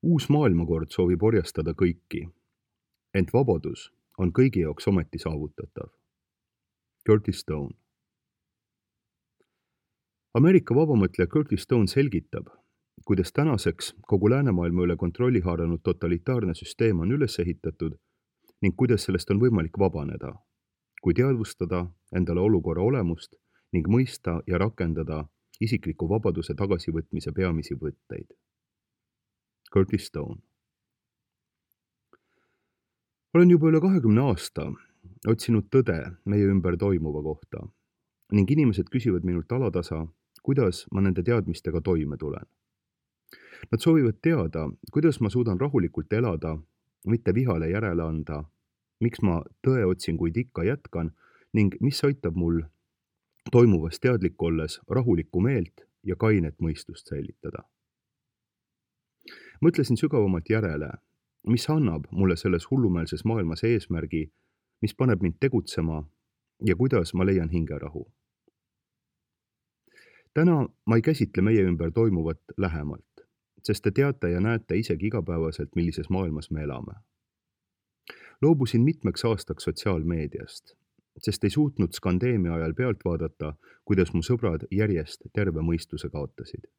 Uus maailmakord soovib orjastada kõiki, ent vabadus on kõigi jaoks ometi saavutatav. Curtis Stone. Ameerika vabamõtleja Curtis Stone selgitab, kuidas tänaseks kogu läänemaailma üle kontrolli haaranud totalitaarne süsteem on üles ehitatud ning kuidas sellest on võimalik vabaneda, kui teadvustada endale olukorra olemust ning mõista ja rakendada isikliku vabaduse tagasivõtmise peamisi võtteid. Curtis Stone. Olen juba üle 20 aasta otsinud tõde meie ümber toimuva kohta ning inimesed küsivad minult alatasa, kuidas ma nende teadmistega toime tulen. Nad soovivad teada, kuidas ma suudan rahulikult elada, mitte vihale järele anda, miks ma tõeotsinguid ikka jätkan ning mis aitab mul toimuvast teadlik olles rahulikku meelt ja kainet mõistust säilitada. Mõtlesin sügavamalt järele, mis annab mulle selles hullumeelses maailmas eesmärgi, mis paneb mind tegutsema ja kuidas ma leian hingerahu. Täna ma ei käsitle meie ümber toimuvat lähemalt, sest te teate ja näete isegi igapäevaselt, millises maailmas me elame. Loobusin mitmeks aastaks sotsiaalmeediast, sest ei suutnud skandeemia ajal pealt vaadata, kuidas mu sõbrad järjest terve mõistuse kaotasid.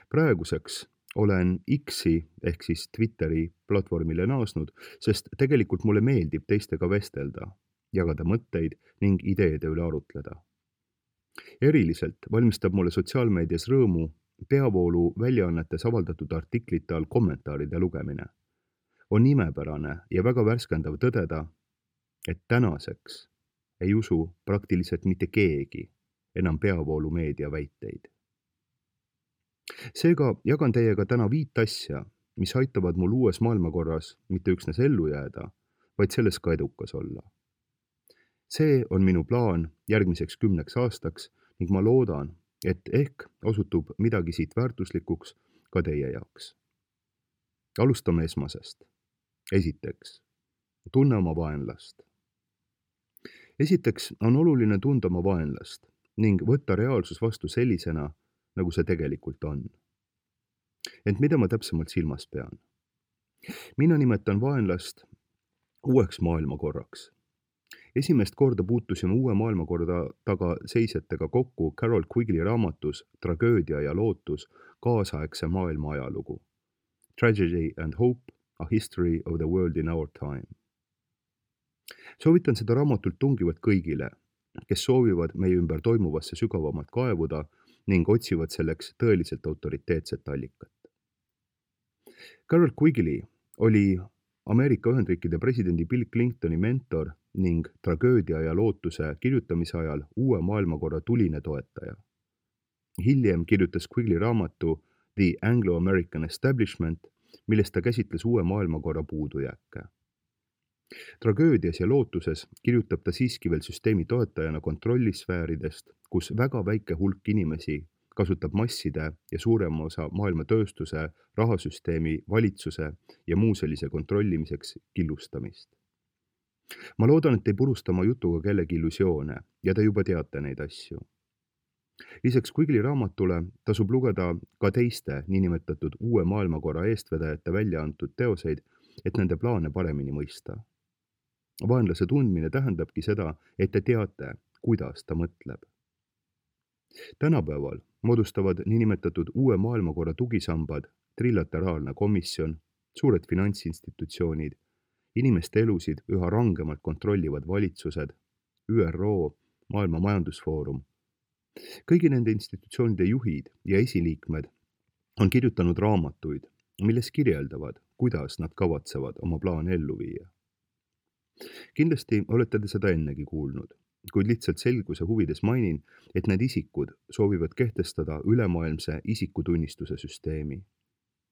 Praeguseks olen X-i ehk siis Twitteri platvormile naasnud, sest tegelikult mulle meeldib teistega vestelda, jagada mõtteid ning ideede üle arutleda. Eriliselt valmistab mulle sotsiaalmeedias rõõmu peavoolu väljaannetes avaldatud artiklite all kommentaaride lugemine. On imepärane ja väga värskendav tõdeda, et tänaseks ei usu praktiliselt mitte keegi enam peavoolu meedia väiteid. Seega jagan teiega täna 5 asja, mis aitavad mul uues maailmakorras mitte üksnes ellu jääda, vaid selles ka edukas olla. See on minu plaan järgmiseks 10 aastaks ning ma loodan, et ehk osutub midagi siit väärtuslikuks ka teie jaoks. Alustame esmasest. Esiteks, tunne oma vaenlast. Esiteks on oluline tunda oma vaenlast ning võtta reaalsus vastu sellisena, nagu see tegelikult on. Ent mida ma täpsemalt silmas pean? Mina nimetan vaenlast uueks maailmakorraks. Esimest korda puutusime uue maailmakorda taga seisjatega kokku Carol Quigley raamatus Tragöödia ja lootus kaasaegse maailma ajalugu. Tragedy and Hope, a history of the world in our time. Soovitan seda raamatult tungivalt kõigile, kes soovivad meie ümber toimuvasse sügavamalt kaevuda ning otsivad selleks tõeliselt autoriteetset allikat. Carol Quigley oli Ameerika Ühendriikide presidendi Bill Clintoni mentor ning Tragöödia ja lootuse kirjutamise ajal uue maailmakorra tuline toetaja. Hiljem kirjutas Quigley raamatu The Anglo-American Establishment, milles ta käsitles uue maailmakorra puudujääke. Tragöödias ja lootuses kirjutab ta siiski veel süsteemi toetajana kontrollisfääridest, kus väga väike hulk inimesi kasutab masside ja suurema osa maailma tööstuse, rahasüsteemi, valitsuse ja muu sellise kontrollimiseks killustamist. Ma loodan, et ei purusta oma jutuga kellegi illusioone ja te juba teate neid asju. Lisaks Quigley raamatule tasub lugeda ka teiste niinimetatud uue maailmakorra eestvedajate välja antud teoseid, et nende plaane paremini mõista. Vaenlase tundmine tähendabki seda, et te teate, kuidas ta mõtleb. Tänapäeval moodustavad niinimetatud uue maailmakorra tugisambad, trilateraalne komisjon, suured finantsinstitutsioonid, inimeste elusid üha rangemalt kontrollivad valitsused, ÜRO, Maailma Majandusfoorum. Kõigi nende institutsioonide juhid ja esiliikmed on kirjutanud raamatuid, milles kirjeldavad, kuidas nad kavatsevad oma plaane ellu viia. Kindlasti olete te seda ennegi kuulnud, kuid lihtsalt selguse huvides mainin, et need isikud soovivad kehtestada ülemaailmse isikutunnistuse süsteemi.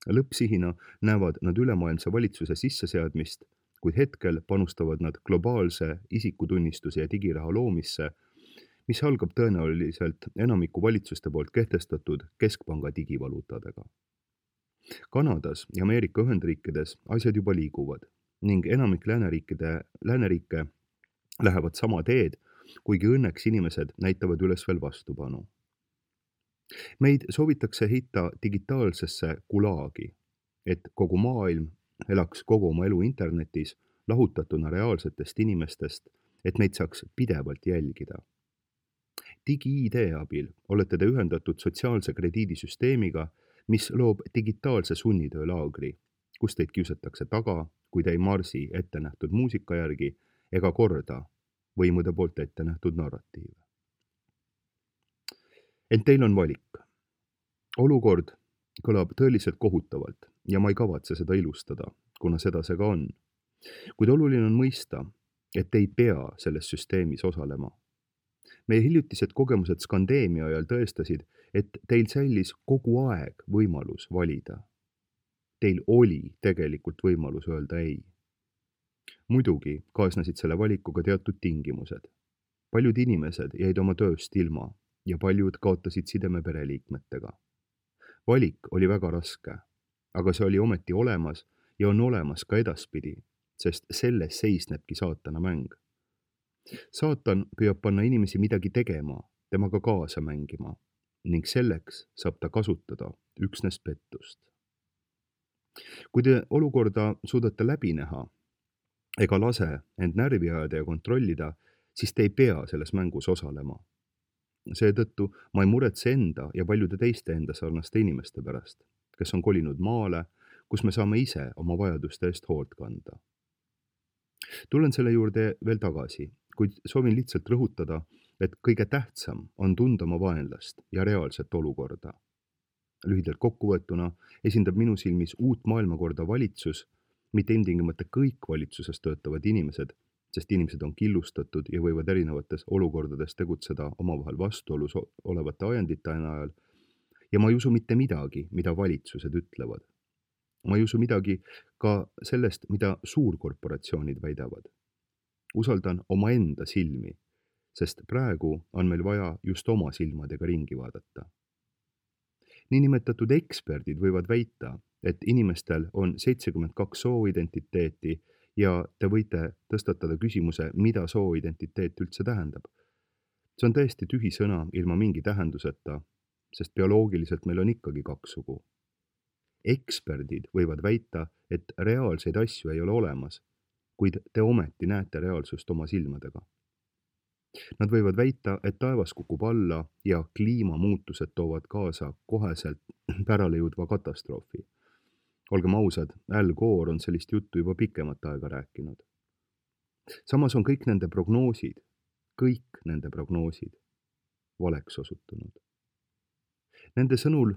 Lõppsihina näevad nad ülemaailmse valitsuse sisseseadmist, kuid hetkel panustavad nad globaalse isikutunnistuse ja digiraha loomisse, mis algab tõenäoliselt enamiku valitsuste poolt kehtestatud keskpanga digivaluutadega. Kanadas ja Ameerika Ühendriikides asjad juba liiguvad ning enamik lääneriike lähevad sama teed, kuigi õnneks inimesed näitavad üles veel vastupanu. Meid soovitakse heita digitaalsesse gulaagi, et kogu maailm elaks kogu oma elu internetis, lahutatuna reaalsetest inimestest, et meid saaks pidevalt jälgida. Digi-ID abil olete te ühendatud sotsiaalse krediidisüsteemiga, mis loob digitaalse sunnitöölaagri, kus teid kiusatakse taga, kui te ei marsi ette nähtud muusika järgi ega korda võimude poolt ette nähtud narratiive. Ent teil on valik. Olukord kõlab tõeliselt kohutavalt ja ma ei kavatse seda ilustada, kuna seda see ka on. Kuid oluline on mõista, et te ei pea selles süsteemis osalema. Meie hiljutised kogemused skandeemia ajal tõestasid, et teil säilis kogu aeg võimalus valida. Teil oli tegelikult võimalus öelda ei. Muidugi kaasnesid selle valikuga teatud tingimused. Paljud inimesed jäid oma tööst ilma ja paljud kaotasid sideme pereliikmetega. Valik oli väga raske, aga see oli ometi olemas ja on olemas ka edaspidi, sest selles seisnebki saatana mäng. Saatan püüab panna inimesi midagi tegema, temaga kaasa mängima ning selleks saab ta kasutada üksnes pettust. Kui te olukorda suudate läbi näha ega lase end närvi ajada ja kontrollida, siis te ei pea selles mängus osalema. Seetõttu ma ei muretse enda ja paljude teiste enda sarnaste inimeste pärast, kes on kolinud maale, kus me saame ise oma vajaduste eest hoolt kanda. Tulen selle juurde veel tagasi, kuid soovin lihtsalt rõhutada, et kõige tähtsam on tunda oma vaenlast ja reaalset olukorda. Lühidalt kokkuvõetuna esindab minu silmis uut maailmakorda valitsus, mitte ilmtingimata kõik valitsuses töötavad inimesed, sest inimesed on killustatud ja võivad erinevates olukordades tegutseda omavahel vastuolus olevate ajendite najal. Ja ma ei usu mitte midagi, mida valitsused ütlevad. Ma ei usu midagi ka sellest, mida suurkorporatsioonid väidavad. Usaldan omaenda silmi, sest praegu on meil vaja just oma silmadega ringi vaadata. Niinimetatud eksperdid võivad väita, et inimestel on 72 sooidentiteeti ja te võite tõstatada küsimuse, mida sooidentiteet üldse tähendab. See on täiesti tühi sõna ilma mingi tähenduseta, sest bioloogiliselt meil on ikkagi 2 sugu. Eksperdid võivad väita, et reaalseid asju ei ole olemas, kuid te ometi näete reaalsust oma silmadega. Nad võivad väita, et taevas kukub alla ja kliimamuutused toovad kaasa koheselt pärale jõudva katastroofi. Olgem ausad, Al Gore on sellist juttu juba pikemat aega rääkinud. Samas on kõik nende prognoosid valeks osutunud. Nende sõnul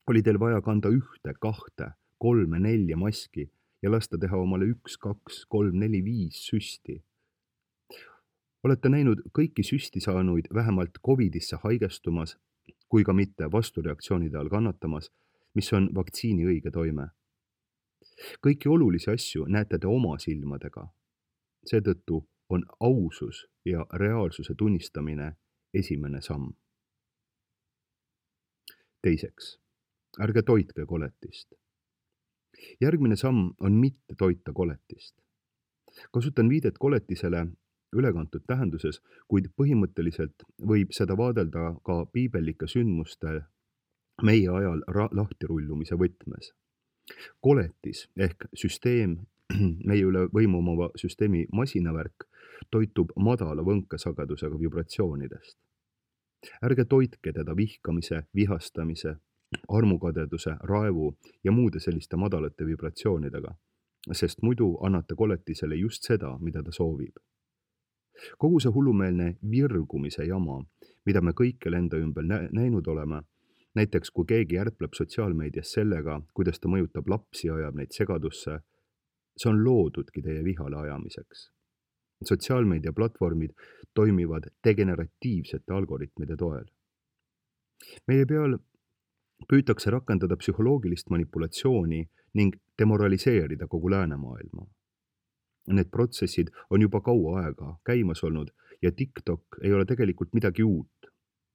oli teil vaja kanda 1, 2, 3, 4 maski ja lasta teha omale 1, 2, 3, 4, 5 süsti. Olete näinud kõiki süsti saanuid vähemalt Covidisse haigestumas, kui ka mitte vastureaktsioonide all kannatamas, mis on vaktsiini õige toime. Kõiki olulisi asju näete te oma silmadega. Seetõttu on ausus ja reaalsuse tunnistamine esimene samm. Teiseks, ärge toitke koletist. Järgmine samm on mitte toita koletist. Kasutan viidet koletisele ülekantud tähenduses, kuid põhimõtteliselt võib seda vaadelda ka piibellike sündmuste meie ajal lahtirullumise võtmes. Koletis ehk süsteem, meie üle võimu omava süsteemi masinavärk, toitub madala võnkesagedusega vibratsioonidest. Ärge toitke teda vihkamise, vihastamise, armukadeduse, raevu ja muude selliste madalate vibratsioonidega, sest muidu annate koletisele just seda, mida ta soovib. Kogu see hullumeelne virgumise jama, mida me kõikjal enda ümber näinud oleme, näiteks kui keegi ärpleb sotsiaalmeedias sellega, kuidas ta mõjutab lapsi ja ajab neid segadusse, see on loodudki teie vihale ajamiseks. Sotsiaalmeedia platvormid toimivad degeneratiivsete algoritmide toel. Meie peal püütakse rakendada psühholoogilist manipulatsiooni ning demoraliseerida kogu läänemaailma. Need protsessid on juba kaua aega käimas olnud ja TikTok ei ole tegelikult midagi uut.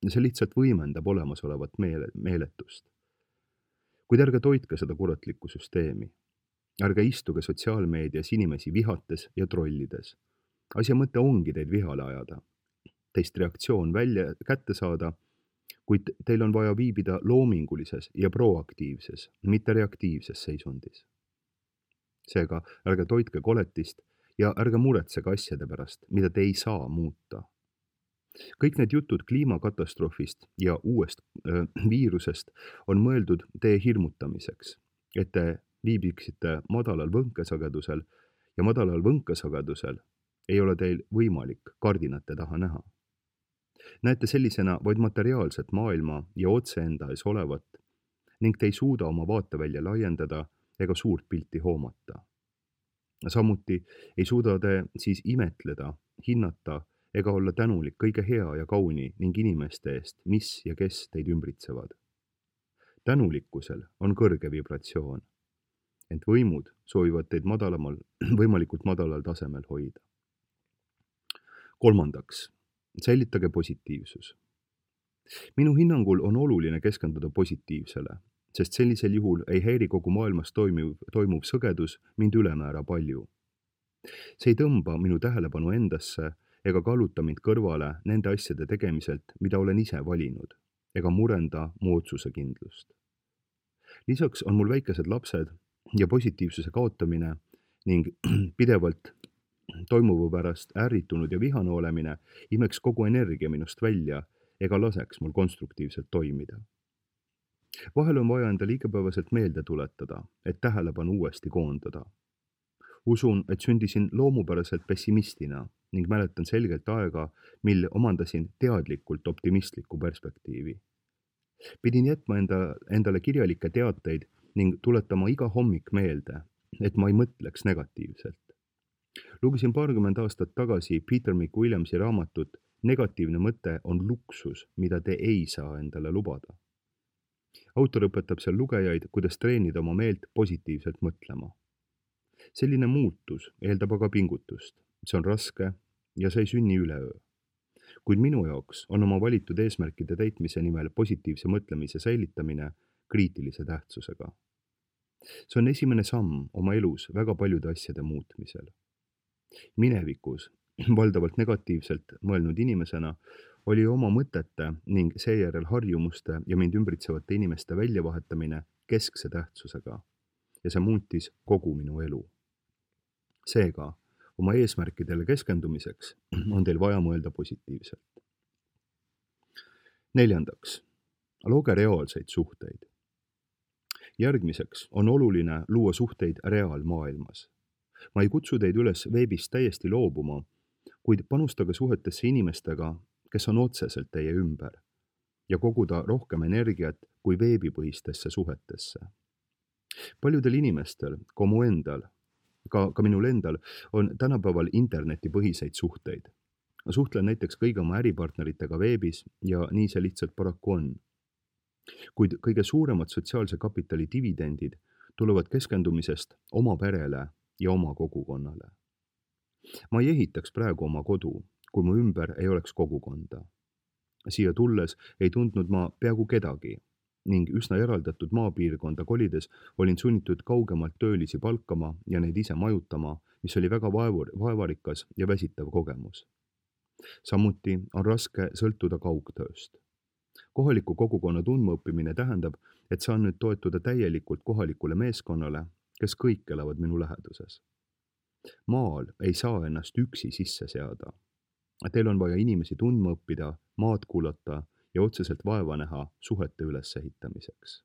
See lihtsalt võimendab olemasolevat meeletust. Kuid ärge toitke seda kuratlikku süsteemi. Ärge istuge sotsiaalmeedias inimesi vihates ja trollides. Asja mõte ongi teid vihale ajada. Teist reaktsioon kätte saada, kuid teil on vaja viibida loomingulises ja proaktiivses, mitte reaktiivses seisundis. Seega ärge toitke koletist ja ärge muretsege asjade pärast, mida te ei saa muuta. Kõik need jutud kliimakatastroofist ja uuest viirusest on mõeldud teie hirmutamiseks, et te viibiksite madalal võnkesagedusel ja madalal võnkesagedusel ei ole teil võimalik kardinate taha näha. Näete sellisena vaid materiaalset maailma ja otse enda ees olevat ning te ei suuda oma vaatevälja laiendada ega suurt pilti hoomata. Samuti ei suuda te siis imetleda, hinnata ega olla tänulik kõige hea ja kauni ning inimeste eest, mis ja kes teid ümbritsevad. Tänulikkusel on kõrge vibratsioon, ent võimud soovivad teid võimalikult madalal tasemel hoida. Kolmandaks, säilitage positiivsus. Minu hinnangul on oluline keskenduda positiivsele, sest sellisel juhul ei häiri kogu maailmas toimuv sõgedus mind ülemäära palju. See ei tõmba minu tähelepanu endasse ega kalluta mind kõrvale nende asjade tegemiselt, mida olen ise valinud, ega murenda mu otsusekindlust. Lisaks on mul väikesed lapsed ja positiivsuse kaotamine ning pidevalt toimuva pärast ärritunud ja vihane olemine imeks kogu energia minust välja ega laseks mul konstruktiivselt toimida. Vahel on vaja endale igapäevaselt meelde tuletada, et tähelepanu uuesti koondada. Usun, et sündisin loomupäraselt pessimistina ning mäletan selgelt aega, mil omandasin teadlikult optimistlikku perspektiivi. Pidin jätma endale kirjalikke teateid ning tuletama iga hommik meelde, et ma ei mõtleks negatiivselt. Lugesin 20 aastat tagasi Peter McWilliamsi raamatut Negatiivne mõte on luksus, mida te ei saa endale lubada. Autor õpetab seal lugejaid, kuidas treenida oma meelt positiivselt mõtlema. Selline muutus eeldab aga pingutust. See on raske ja see ei sünni üleöö. Kuid minu jaoks on oma valitud eesmärkide täitmise nimel positiivse mõtlemise säilitamine kriitilise tähtsusega. See on esimene samm oma elus väga paljude asjade muutmisel. Minevikus valdavalt negatiivselt mõelnud inimesena oli oma mõtete ning seejärel harjumuste ja mind ümbritsevate inimeste väljavahetamine keskse tähtsusega ja see muutis kogu minu elu. Seega, oma eesmärkidele keskendumiseks on teil vaja mõelda positiivselt. Neljandaks, looge reaalseid suhteid. Järgmiseks on oluline luua suhteid reaalmaailmas. Ma ei kutsu teid üles veebist täiesti loobuma, kuid panustage suhetesse inimestega, kes on otseselt teie ümber ja koguda rohkem energiat kui veebipõhistesse suhetesse. Paljudel inimestel, ka minul endal, on tänapäeval internetipõhiseid suhteid. Suhtlen näiteks kõigi oma äripartneritega veebis ja nii see lihtsalt paraku on. Kuid kõige suuremad sotsiaalse kapitali dividendid tulevad keskendumisest oma perele ja oma kogukonnale. Ma ei ehitaks praegu oma kodu, kui mu ümber ei oleks kogukonda. Siia tulles ei tundnud ma peaaegu kedagi ning üsna eraldatud maapiirkonda kolides olin sunnitud kaugemalt töölisi palkama ja neid ise majutama, mis oli väga vaevarikas ja väsitav kogemus. Samuti on raske sõltuda kaugtööst. Kohaliku kogukonna tundmaõppimine tähendab, et saan nüüd toetuda täielikult kohalikule meeskonnale, kes kõik elavad minu läheduses. Maal ei saa ennast üksi sisse seada. Teil on vaja inimesi tundma õppida, maad kuulata ja otseselt vaeva näha suhete ülesehitamiseks.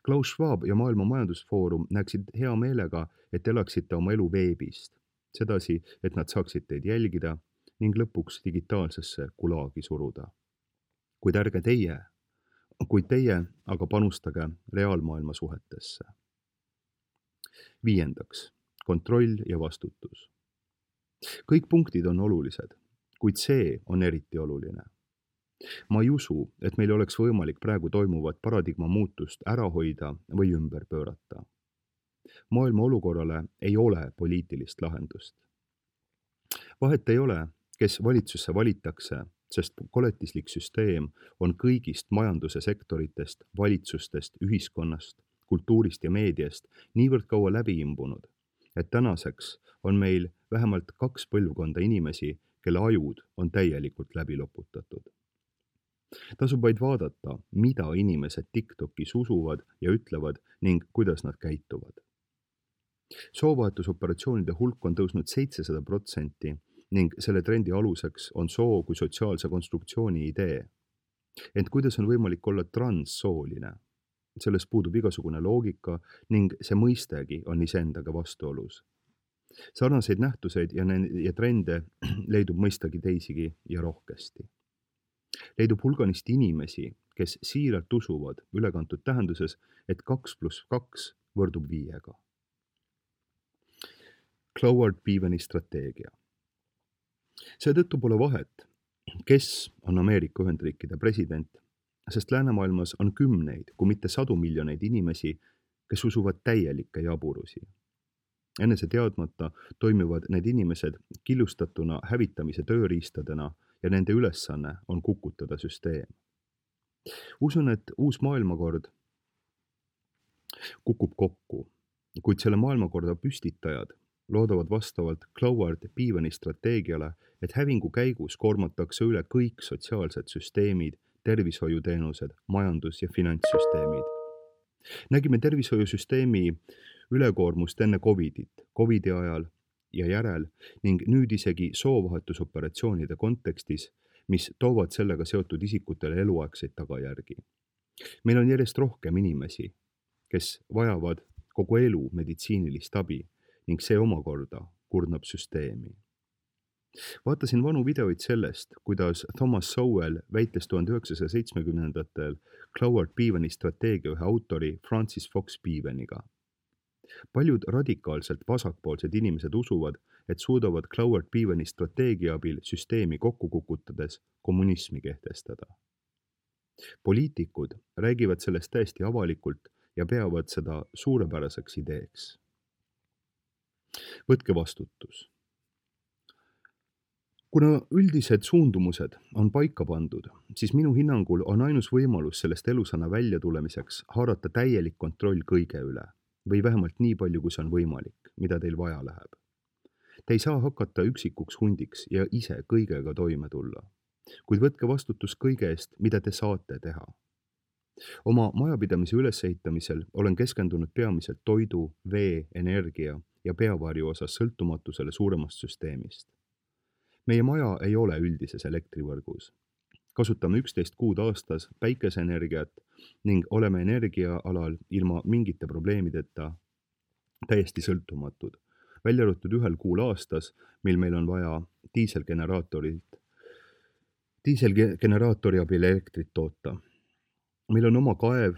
Klaus Schwab ja Maailma Majandusfoorum näeksid hea meelega, et elaksite oma elu veebist, sedasi, et nad saaksid teid jälgida ning lõpuks digitaalsesse gulaagi suruda. Kuid teie aga panustage reaalmaailma suhetesse. Viiendaks, kontroll ja vastutus. Kõik punktid on olulised, kuid see on eriti oluline. Ma ei usu, et meil oleks võimalik praegu toimuvat paradigma muutust ära hoida või ümber pöörata. Maailma olukorrale ei ole poliitilist lahendust. Vahet ei ole, kes valitsusse valitakse, sest koletislik süsteem on kõigist majanduse sektoritest, valitsustest, ühiskonnast, kultuurist ja meediast niivõrd kaua läbi imbunud, et tänaseks on meil vähemalt 2 põlvkonda inimesi, kelle ajud on täielikult läbi loputatud. Tasub vaid vaadata, mida inimesed TikTokis usuvad ja ütlevad ning kuidas nad käituvad. Soovahetusoperatsioonide hulk on tõusnud 700% ning selle trendi aluseks on soo kui sotsiaalse konstruktsiooni idee. Ent kuidas on võimalik olla transsooline? Selles puudub igasugune loogika ning see mõistegi on iseendaga vastuolus. Sarnaseid nähtuseid ja trende leidub mõistagi teisigi ja rohkesti. Leidub hulganisti inimesi, kes siiralt usuvad ülekantud tähenduses, et 2 + 2 võrdub 5-ga. Cloward Beaveni strateegia. Seetõttu pole vahet, kes on Ameerika Ühendriikide president, sest läänemaailmas on kümneid, kui mitte 100 miljoneid inimesi, kes usuvad täielikke jaburusi. Enese teadmata toimivad need inimesed killustatuna hävitamise tööriistadena ja nende ülesanne on kukutada süsteem. Usun, et uus maailmakord kukub kokku, kuid selle maailmakorda püstitajad loodavad vastavalt Cloward Beaveni strateegiale, et hävingu käigus koormatakse üle kõik sotsiaalsed süsteemid, tervishoiuteenused, majandus- ja finantssüsteemid. Nägime tervishoiusüsteemi ülekoormust enne Covidi ajal ja järel ning nüüd isegi soovahetusoperatsioonide kontekstis, mis toovad sellega seotud isikutele eluaegseid tagajärgi. Meil on järjest rohkem inimesi, kes vajavad kogu elu meditsiinilist abi ning see omakorda kurnab süsteemi. Vaatasin vanu videoid sellest, kuidas Thomas Sowell väites 1970-ndatel Cloward Beaveni strateegia ühe autori Francis Fox Beaveniga. Paljud radikaalselt vasakpoolsed inimesed usuvad, et suudavad Cloward Beaveni strateegia abil süsteemi kokku kukutades kommunismi kehtestada. Poliitikud räägivad sellest täiesti avalikult ja peavad seda suurepäraseks ideeks. Võtke vastutus. Kuna üldised suundumused on paika pandud, siis minu hinnangul on ainus võimalus sellest elusana välja tulemiseks haarata täielik kontroll kõige üle või vähemalt nii palju, kui see on võimalik, mida teil vaja läheb. Te ei saa hakata üksikuks hundiks ja ise kõigega toime tulla, kuid võtke vastutus kõige eest, mida te saate teha. Oma majapidamise ülesehitamisel olen keskendunud peamiselt toidu, vee, energia ja peavarju osas sõltumatusele suuremast süsteemist. Meie maja ei ole üldises elektrivõrgus. Kasutame 11 kuud aastas päikeseenergiat ning oleme energiaalal ilma mingite probleemideta täiesti sõltumatud. Välja arvatud 1 kuul aastas, mil meil on vaja diiselgeneraatori abil elektrit toota. Meil on oma kaev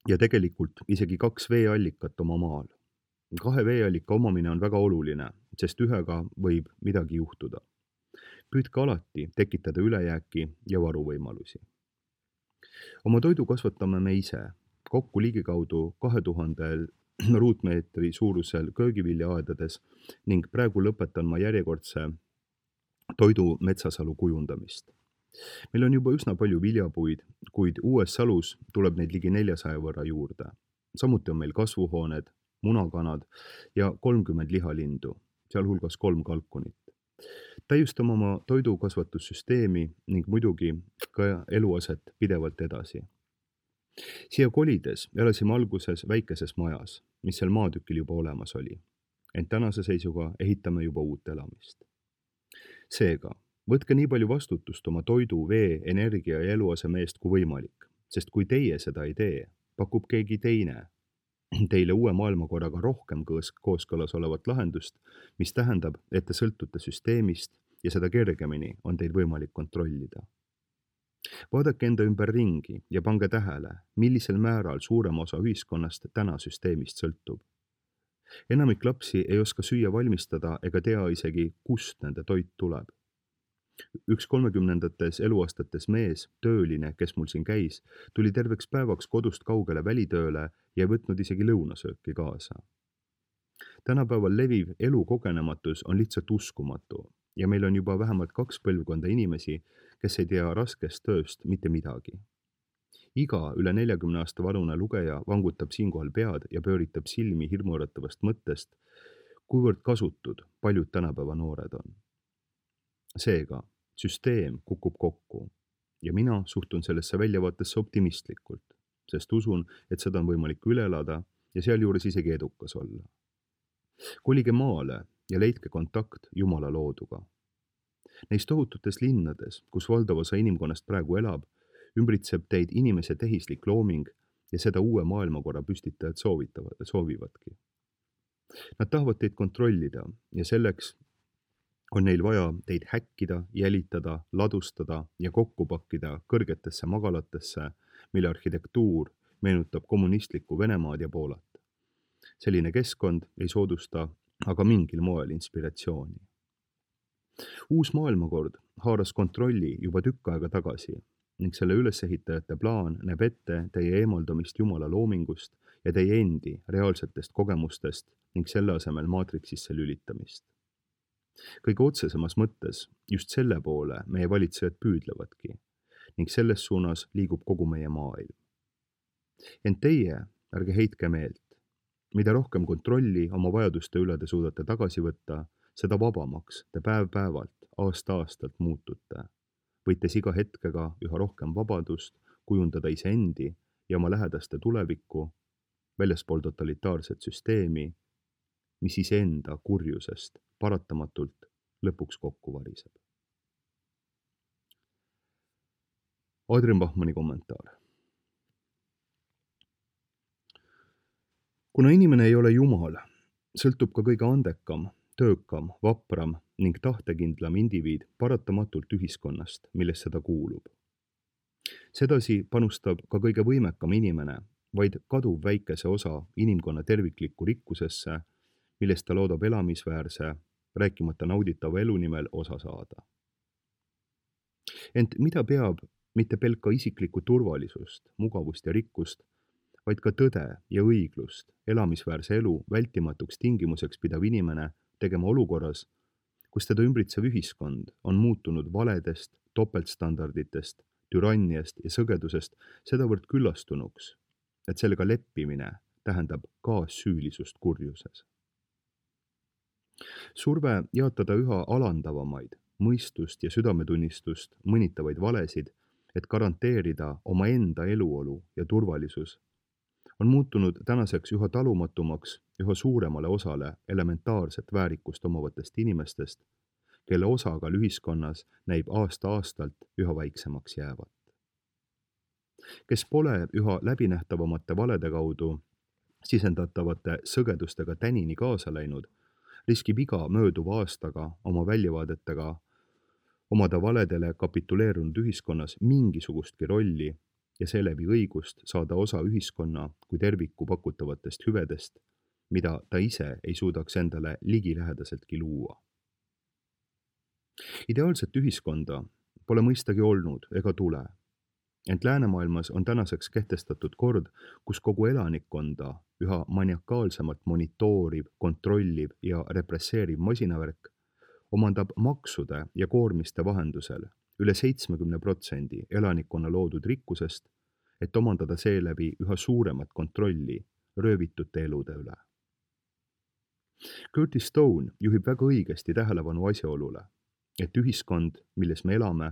ja tegelikult isegi 2 veeallikat oma maal. 2 veeallika omamine on väga oluline, sest ühega võib midagi juhtuda. Püüdke alati tekitada ülejääki ja varuvõimalusi. Oma toidu kasvatame me ise, kokku ligikaudu 2000 ruutmeetri suurusel köögiviljaaedades ning praegu lõpetan ma järjekordse toidu metsasalu kujundamist. Meil on juba üsna palju viljapuid, kuid uues salus tuleb neid ligi 400 võrra juurde. Samuti on meil kasvuhooned, munakanad ja 30 lihalindu, sealhulgas 3 kalkunit. Täiustame oma toidukasvatussüsteemi ning muidugi ka eluaset pidevalt edasi. Siia kolides elasime alguses väikeses majas, mis seal maatükil juba olemas oli. Ent tänase seisuga ehitame juba uut elamist. Seega, võtke nii palju vastutust oma toidu, vee, energia ja eluaseme eest kui võimalik, sest kui teie seda ei tee, pakub keegi teine teile uue maailmakorraga rohkem kooskõlas olevat lahendust, mis tähendab, et te sõltute süsteemist ja seda kergemini on teil võimalik kontrollida. Vaadake enda ümber ringi ja pange tähele, millisel määral suurem osa ühiskonnast täna süsteemist sõltub. Enamik lapsi ei oska süüa valmistada ega tea isegi, kust nende toit tuleb. Üks 30-ndates eluaastates mees, tööline, kes mul siin käis, tuli terveks päevaks kodust kaugele välitööle ja ei võtnud isegi lõunasööki kaasa. Tänapäeval leviv elukogenematus on lihtsalt uskumatu ja meil on juba vähemalt 2 põlvkonda inimesi, kes ei tea raskest tööst mitte midagi. Iga üle 40 aasta vanune lugeja vangutab siinkohal pead ja pööritab silmi hirmuäratavast mõttest, kuivõrd kasutud paljud tänapäeva noored on. Seega, süsteem kukub kokku ja mina suhtun sellesse väljavaatesse optimistlikult, sest usun, et seda on võimalik üle elada ja sealjuures isegi edukas olla. Kolige maale ja leidke kontakt Jumala looduga. Neis tohututes linnades, kus valdav osa inimkonnast praegu elab, ümbritseb teid inimese tehislik looming ja seda uue maailmakorra püstitajad soovivadki. Nad tahavad teid kontrollida ja selleks on neil vaja teid häkkida, jälitada, ladustada ja kokku pakkida kõrgetesse magalatesse, mille arhitektuur meenutab kommunistlikku Venemaad ja Poolat. Selline keskkond ei soodusta aga mingil moel inspiratsiooni. Uus maailmakord haaras kontrolli juba tükk aega tagasi ning selle ülesehitajate plaan näeb ette teie eemaldamist Jumala loomingust ja teie endi reaalsetest kogemustest ning selle asemel maatriksisse lülitamist. Kõige otsesemas mõttes just selle poole meie valitsejad püüdlevadki ning selles suunas liigub kogu meie maailm. Ent teie ärge heitke meelt. Mida rohkem kontrolli oma vajaduste üle te suudate tagasi võtta, seda vabamaks te päev-päevalt, aasta-aastalt muutute, võites iga hetkega üha rohkem vabadust kujundada iseendi ja oma lähedaste tulevikku väljaspool totalitaarset süsteemi, mis iseenda kurjusest paratamatult lõpuks kokku variseb. Adrian Bachmanni kommentaar. Kuna inimene ei ole Jumal, sõltub ka kõige andekam, töökam, vapram ning tahtekindlam indiviid paratamatult ühiskonnast, millesse ta kuulub. Sedasi panustab ka kõige võimekam inimene vaid kaduv väikese osa inimkonna terviklikku rikkusesse, millest ta loodab elamisväärse, rääkimata nauditava elu nimel osa saada. Ent mida peab mitte pelka isiklikku turvalisust, mugavust ja rikkust, vaid ka tõde ja õiglust, elamisväärse elu vältimatuks tingimuseks pidav inimene tegema olukorras, kus teda ümbritsev ühiskond on muutunud valedest, topeltstandarditest, türanniast ja sõgedusest sedavõrd küllastunuks, et sellega leppimine tähendab kaassüülisust kurjuses. Surve jaotada üha alandavamaid, mõistust ja südametunnistust mõnitavaid valesid, et garanteerida omaenda eluolu ja turvalisus, on muutunud tänaseks üha talumatumaks üha suuremale osale elementaarset väärikust omavatest inimestest, kelle osakaal ühiskonnas näib aasta-aastalt üha väiksemaks jäävat. Kes pole üha läbinähtavamate valede kaudu sisendatavate sõgedustega tänini kaasa läinud, riskib iga mööduva aastaga oma väljavaadetega omada valedele kapituleerunud ühiskonnas mingisugustki rolli ja seeläbi õigust saada osa ühiskonna kui terviku pakutavatest hüvedest, mida ta ise ei suudaks endale ligilähedaseltki luua. Ideaalset ühiskonda pole mõistagi olnud ega tule, ent läänemaailmas on tänaseks kehtestatud kord, kus kogu elanikkonda üha maniakaalsemalt monitooriv, kontrolliv ja represseeriv masinavärk omandab maksude ja koormiste vahendusel üle 70% elanikkonna loodud rikkusest, et omandada seeläbi üha suuremat kontrolli röövitute elude üle. Curtis Stone juhib väga õigesti tähelepanu asjaolule, et ühiskond, milles me elame,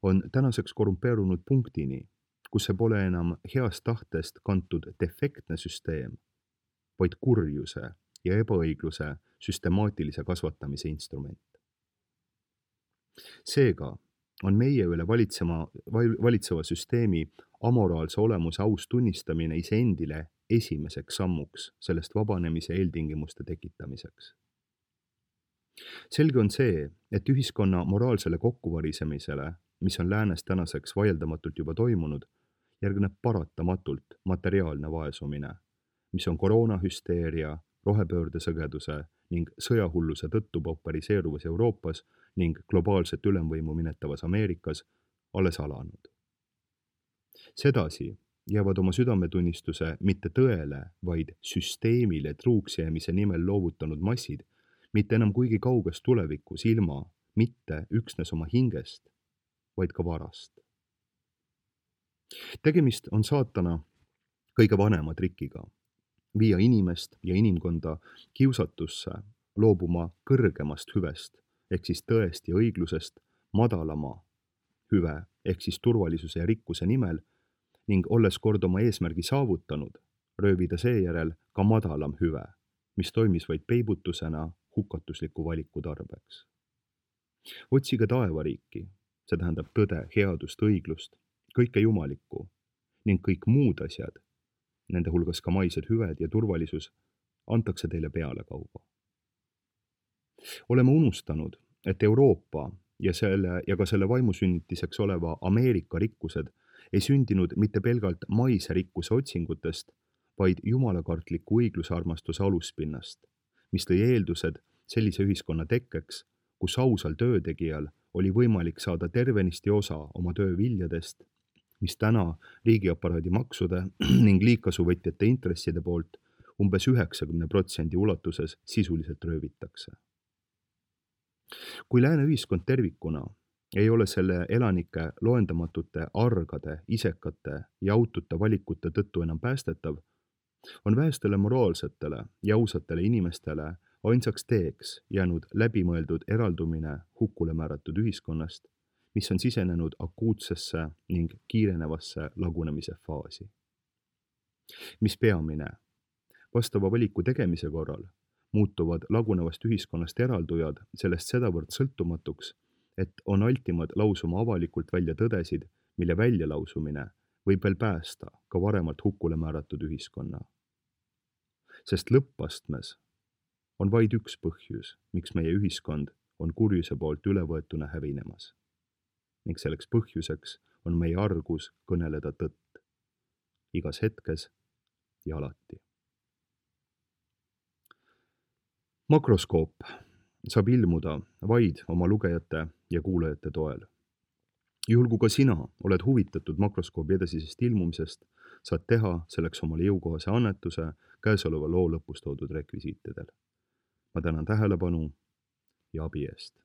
on tänaseks korrumpeerunud punktini, kus see pole enam heast tahtest kantud defektne süsteem, vaid kurjuse ja ebaõigluse süstemaatilise kasvatamise instrument. Seega on meie üle valitseva süsteemi amoraalse olemuse aus tunnistamine iseendile esimeseks sammuks sellest vabanemise eeltingimuste tekitamiseks. Selge on see, et ühiskonna moraalsele kokkuvarisemisele, mis on läänes tänaseks vaieldamatult juba toimunud, järgneb paratamatult materiaalne vaesumine, mis on koroonahüsteeria, rohepöörde sõgeduse ning sõjahulluse tõttu paupariseeruvas Euroopas ning globaalset ülemvõimu minetavas Ameerikas alles alanud. Sedasi jäävad oma südametunnistuse mitte tõele, vaid süsteemile truuks jäämise nimel loovutanud massid, mitte enam kuigi kauges tulevikus ilma, mitte üksnes oma hingest, vaid ka varast. Tegemist on saatana kõige vanema trikiga, viia inimest ja inimkonda kiusatusse loobuma kõrgemast hüvest, ehk siis tõest ja õiglusest madalama hüve ehk siis turvalisuse ja rikkuse nimel ning olles kord oma eesmärgi saavutanud, röövida seejärel ka madalam hüve, mis toimis vaid peibutusena hukatusliku valiku tarbeks. Otsige taevariiki, see tähendab tõde, headust, õiglust, kõike jumalikku ning kõik muud asjad, nende hulgas ka maised hüved ja turvalisus, antakse teile pealekauba. Oleme unustanud, et Euroopa ja ka selle vaimusünnitiseks oleva Ameerika rikkused ei sündinud mitte pelgalt maise rikkuse otsingutest, vaid jumalakartliku õiglusarmastuse aluspinnast, mis tõi eeldused sellise ühiskonna tekkeks, kus ausal töötegijal oli võimalik saada tervenisti osa oma töö viljadest, mis täna riigiaparaadi maksude ning liigkasuvõtjate intresside poolt umbes 90% ulatuses sisuliselt röövitakse. Kui lääne ühiskond tervikuna ei ole selle elanike loendamatute argade, isekate ja autute valikute tõttu enam päästetav, on vähestele moraalsetele ja ausatele inimestele ainsaks teeks jäänud läbimõeldud eraldumine hukule määratud ühiskonnast, mis on sisenenud akuutsesse ning kiirenevasse lagunemise faasi. Mis peamine, vastava valiku tegemise korral muutuvad lagunevast ühiskonnast eraldujad sellest sedavõrd sõltumatuks, et on altimad lausuma avalikult välja tõdesid, mille väljalausumine võib veel päästa ka varemalt hukule määratud ühiskonna. Sest lõppastmes on vaid üks põhjus, miks meie ühiskond on kurjuse poolt ülevõetuna hävinemas. Ning selleks põhjuseks on meie argus kõneleda tõtt. Igas hetkes ja alati. Makroskoop saab ilmuda vaid oma lugejate ja kuulajate toel. Juhul kui ka sina oled huvitatud makroskoobi edasisest ilmumisest, saad teha selleks omale jõukohase annetuse käesoleva loo lõpus toodud rekvisiitidel. Ma tänan tähelepanu ja abi eest.